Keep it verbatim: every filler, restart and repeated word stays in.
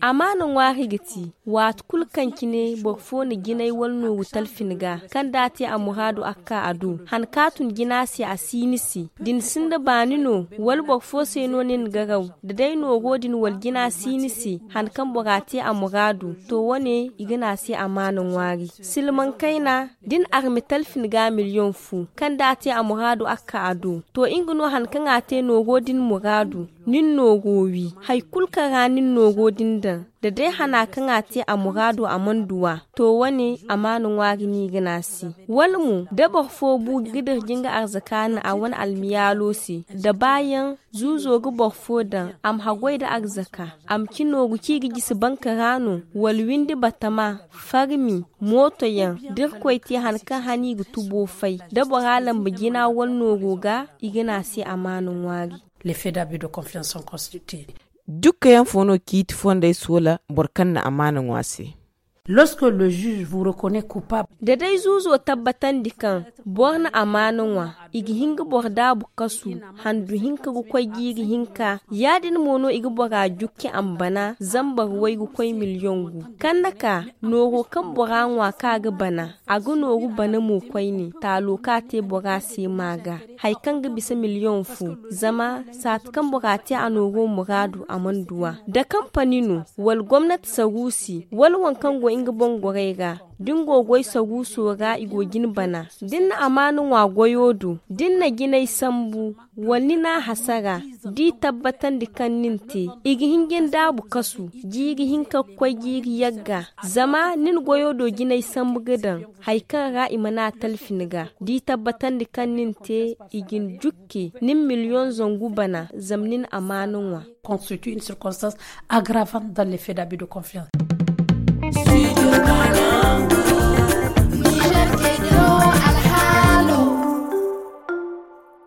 Amaana ŋwaari ga ti waati kulu kaŋ cine boro fo na jinay wala nooru talfi ni ga, kaŋ da a te a muraadu a ga ka a do han ka tun jina se a si ni se. Da ni sinda baani no, wala boro fo se no ni na garaw, da day nooro din wala jina si ni se han kaŋ bora te a muraadu, to wane i ga ne a se amaana ŋwaari. Silmaŋ kayna da ni arme talfi ni ga miliyoŋ fo, kaŋ da a te a muraadu a ga ka a do, to nga no han kaŋ a te nooro din muraadu. Nin nooro wi hari kulu kaŋ ra nin nooro din daŋ, da day hana kaŋ a te a muraado a mana du a, to wane amaana ŋwaari no i ga ne a se. Wala mo da boro fo bu ga dira jinga arzaka no a wane almiyaalo se, da baayaŋ zuuzo ga boro fo daŋ a ma haggoy nda arzaka, a ma ci nooru kaŋ i ga jisi banka ra no, wala windi batama, farmi, mootoyaŋ, da irkoy te han kaŋ hana i ga tubo fay, da bora lamba jina wala nooro ga, i ga ne a se amaana ŋwaari. Dukka yaŋ fo no ciiti fondey soola boro kaŋ na amaana ŋwa se? Da day zuuzo tabbatandi kaŋ boro na amaana ŋwa, i ga hin ga boro daabu kasu handu hinka ga koy jiiri hinka. Ya- din mo no i ga bora jukki a ma bana zambar way ga koy miliyoŋ gu. Kaŋ na ka nooro kaŋ bora ŋwa kaŋ a ga bana, a ga nooru bana mo koyne taalo kaŋ a te bora se ma ga, hari kaŋ ga bisa miliyoŋ fo. Zama saati kaŋ bora te a nooro muraadu a mana du a. Da kampani no, wala gomnati saruusi, wala waŋ kaŋ go nga boŋ gorey ra, da ni go goy saruuso ra i go ga ni bana. Da ni na amaana ŋwa goyo do, da ni na jinay sambu, wala ni n'a hasara, da i tabbatandi kaŋ nin te, i ga hin ga ni daabu kasu jiiri hinka ga koy jiiri yagga. Zama ni na goyo do jinay sambu ga daŋ hari kaŋ ra i mana a talfi ni ga, da i tabbatandi kaŋ nin te, i ga ni jukki ni ma miliyoŋ zangu bana zama ni na amaana ŋwa.